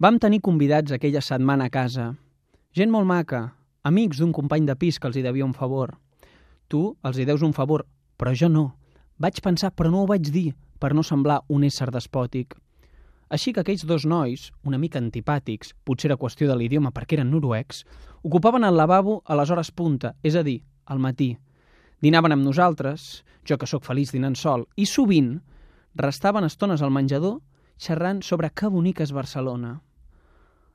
Vam tenir convidats aquella setmana a casa. Gent molt maca, amics d'un company de pis que els hi devia un favor. Tu els hi deus un favor, però jo no. Vaig pensar, però no ho vaig dir, per no semblar un ésser despòtic. Així que aquells dos nois, una mica antipàtics, potser era qüestió de l'idioma perquè eren noruecs, ocupaven el lavabo a les hores punta, és a dir, al matí. Dinaven amb nosaltres, jo que sóc feliç dinant sol, i sovint restaven estones al menjador xerrant sobre que bonica és Barcelona.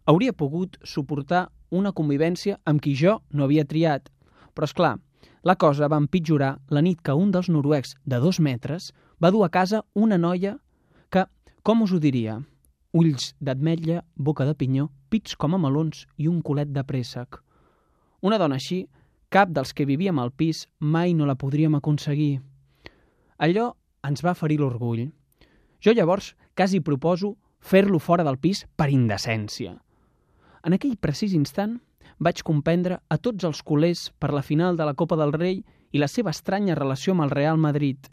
Hauria pogut suportar una convivència amb qui jo no havia triat, però és clar, la cosa va empitjorar la nit que un dels noruecs de 2 metres va dur a casa una noia que, com us ho diria, ulls d'ametlla, boca de pinyó, pits com a melons i un culet de préssec. Una dona així, cap dels que vivíem al pis mai no la podríem aconseguir. Allò ens va ferir l'orgull. Jo llavors quasi proposo fer-lo fora del pis per indecència. En aquell precís instant vaig comprendre a tots els culers per la final de la Copa del Rei i la seva estranya relació amb el Real Madrid.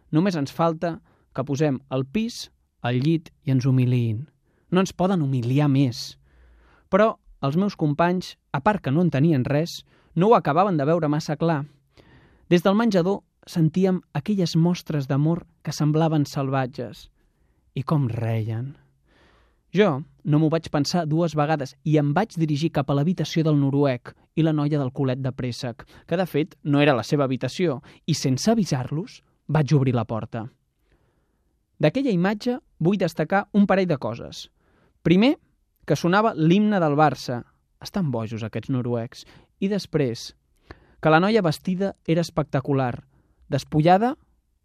Només ens falta que posem el pis al llit i ens humiliïn. No ens poden humiliar més. Però els meus companys, a part que no en tenien res, no ho acabaven de veure massa clar. Des del menjador sentíem aquelles mostres d'amor que semblaven salvatges. I com reien. Jo no m'ho vaig pensar 2 vegades i em vaig dirigir cap a l'habitació del noruec i la noia del culet de préssec, que de fet no era la seva habitació, i sense avisar-los vaig obrir la porta. D'aquella imatge vull destacar un parell de coses. Primer, que sonava l'himne del Barça. Estan bojos aquests noruecs. I després, que la noia vestida era espectacular. Despullada,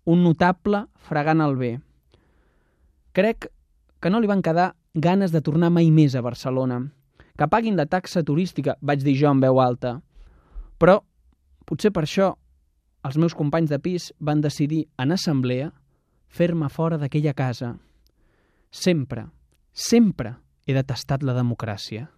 un notable fregant el bé. Crec que no li van quedar ganes de tornar mai més a Barcelona. Que paguin la taxa turística, vaig dir jo en veu alta. Però, potser per això, els meus companys de pis van decidir, en assemblea, fer-me fora d'aquella casa. Sempre, sempre he detestat la democràcia.